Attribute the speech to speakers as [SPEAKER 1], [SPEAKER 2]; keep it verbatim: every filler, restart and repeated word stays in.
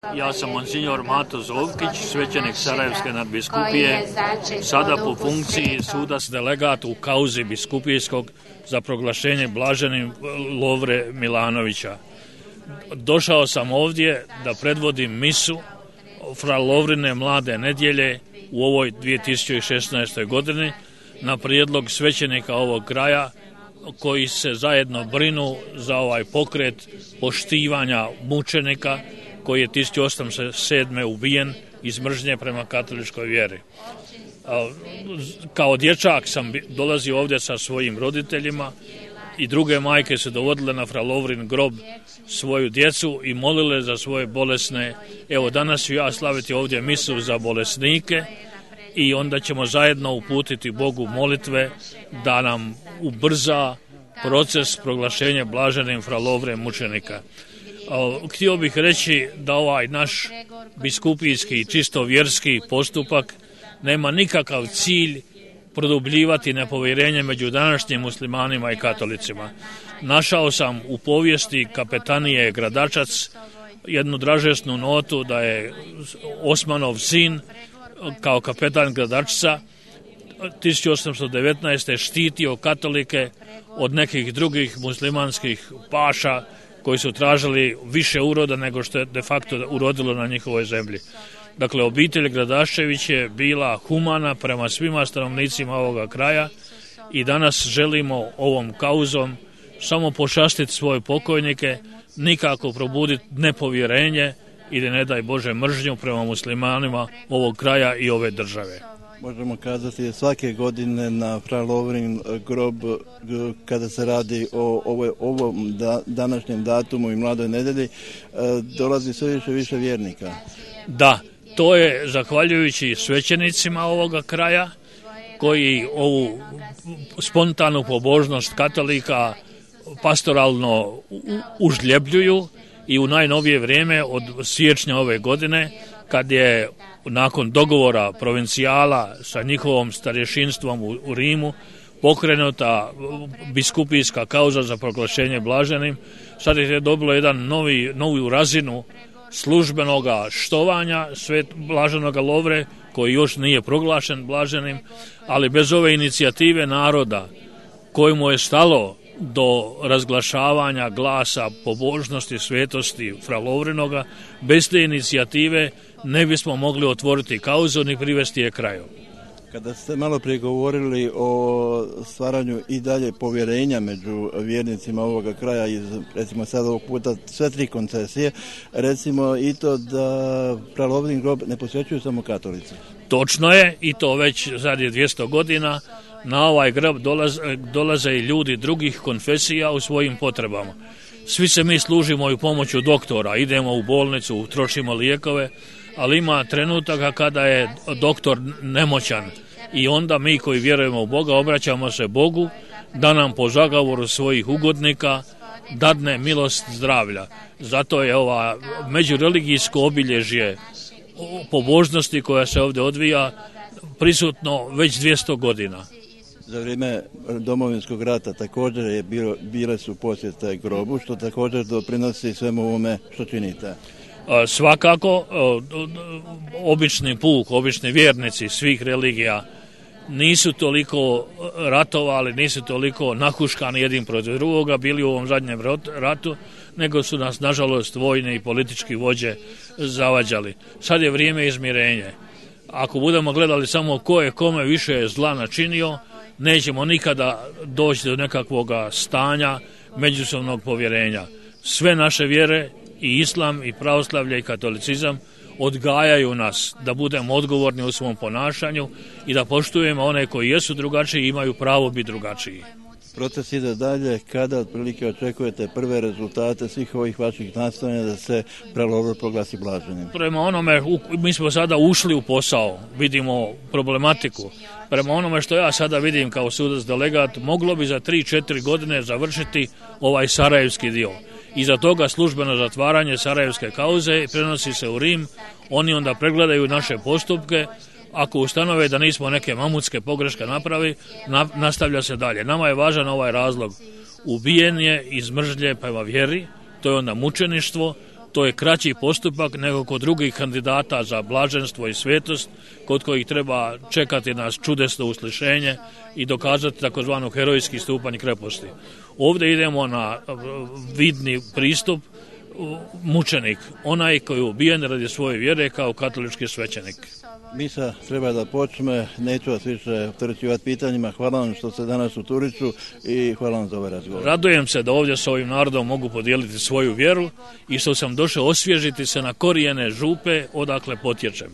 [SPEAKER 1] Ja sam monsignor Mato Zovkić, svećenik Sarajevske nadbiskupije, sada po funkciji sudac delegat u kauzi biskupijskog za proglašenje blaženim Lovre Milanovića. Došao sam ovdje da predvodim misu fra Lovrine mlade nedjelje u ovoj dvije tisuće šesnaestoj godini na prijedlog svećenika ovog kraja koji se zajedno brinu za ovaj pokret poštivanja mučenika koji je tisuću osamsto sedme. ubijen iz mržnje prema katoličkoj vjeri. Kao dječak sam dolazio ovdje sa svojim roditeljima i druge majke su dovodile na fra Lovrin grob svoju djecu i molile za svoje bolesne. Evo, danas ću ja slaviti ovdje misu za bolesnike i onda ćemo zajedno uputiti Bogu molitve da nam ubrza proces proglašenja blaženim fra Lovre mučenika. Htio bih reći da ovaj naš biskupijski čisto vjerski postupak nema nikakav cilj produbljivati nepovjerenje među današnjim muslimanima i katolicima. Našao sam u povijesti kapetanije Gradačac jednu dražesnu notu da je Osmanov sin kao kapetan Gradačca tisuću osamsto devetnaeste. štitio katolike od nekih drugih muslimanskih paša koji su tražili više uroda nego što je de facto urodilo na njihovoj zemlji. Dakle, obitelj Gradaščević je bila humana prema svima stanovnicima ovoga kraja i danas želimo ovom kauzom samo počastiti svoje pokojnike, nikako probuditi nepovjerenje ili ne daj Bože mržnju prema muslimanima ovog kraja i ove države.
[SPEAKER 2] Možemo kazati svake godine na fra Lovrin grob kada se radi o ovoj, ovom da, današnjem datumu i mladoj nedjelji dolazi sve više više vjernika.
[SPEAKER 1] Da, to je zahvaljujući svećenicima ovoga kraja koji ovu spontanu pobožnost katolika pastoralno užljebljuju i u najnovije vrijeme od siječnja ove godine kad je nakon dogovora provincijala sa njihovom starješinstvom u, u Rimu pokrenuta biskupijska kauza za proglašenje blaženim, sad je dobilo jedan novi, novu razinu službenoga štovanja svet blaženoga Lovre koji još nije proglašen blaženim, ali bez ove inicijative naroda kojemu je stalo do razglašavanja glasa pobožnosti, svetosti fra Lovrinoga, bez te inicijative ne bismo mogli otvoriti kauzu ni privesti je kraju.
[SPEAKER 2] Kada ste malo prije govorili o stvaranju i dalje povjerenja među vjernicima ovoga kraja iz, recimo sad ovog puta sve tri koncesije, recimo i to da fra Lovrin grob ne posvećuju samo katolici.
[SPEAKER 1] Točno je i to već zadnjih dvjesto godina. Na ovaj grob dolaze, dolaze i ljudi drugih konfesija u svojim potrebama. Svi se mi služimo i pomoću doktora, idemo u bolnicu, trošimo lijekove, ali ima trenutaka kada je doktor nemoćan i onda mi koji vjerujemo u Boga obraćamo se Bogu da nam po zagovoru svojih ugodnika dadne milost zdravlja. Zato je ova međureligijsko obilježje pobožnosti koja se ovdje odvija prisutno već dvjesto godina.
[SPEAKER 2] Za vrijeme Domovinskog rata također je bilo, bile su posjete grobu, što također doprinosi svemu ovome što činite.
[SPEAKER 1] Svakako, obični puk, obični vjernici svih religija nisu toliko ratovali, nisu toliko nahuškani jedin protiv drugoga, bili u ovom zadnjem ratu, nego su nas, nažalost, vojni i politički vođe zavađali. Sad je vrijeme izmirenje. Ako budemo gledali samo ko je kome više zla načinio, nećemo nikada doći do nekakvog stanja međusobnog povjerenja. Sve naše vjere, i islam, i pravoslavlje, i katolicizam odgajaju nas da budemo odgovorni u svom ponašanju i da poštujemo one koji jesu drugačiji i imaju pravo biti drugačiji.
[SPEAKER 2] Proces ide dalje, kada otprilike očekujete prve rezultate svih ovih vaših nastojanja da se fra Lovre proglasi blaženim?
[SPEAKER 1] Prema onome, mi smo sada ušli u posao, vidimo problematiku. Prema onome što ja sada vidim kao sudac delegat, moglo bi za tri četiri godine završiti ovaj sarajevski dio. Iza toga službeno zatvaranje sarajevske kauze prenosi se u Rim, oni onda pregledaju naše postupke, ako ustanove da nismo neke mamutske pogreške napravi, na, nastavlja se dalje. Nama je važan ovaj razlog. Ubijen je iz mržnje prema vjeri, to je onda mučeništvo, To je kraći postupak nego kod drugih kandidata za blaženstvo i svetost, kod kojih treba čekati nas čudesno uslišenje i dokazati takozvanu herojski stupanj kreposti. Ovdje idemo na vidni pristup, mučenik, onaj koji je ubijen radi svoje vjere kao katolički svećenik.
[SPEAKER 2] Misa treba da počne, neću vas više opterećivati pitanjima. Hvala vam što ste danas u Turiću i hvala vam za ovaj razgovor.
[SPEAKER 1] Radujem se da ovdje sa ovim narodom mogu podijeliti svoju vjeru i što sam došao osvježiti se na korijene Župe odakle potječem.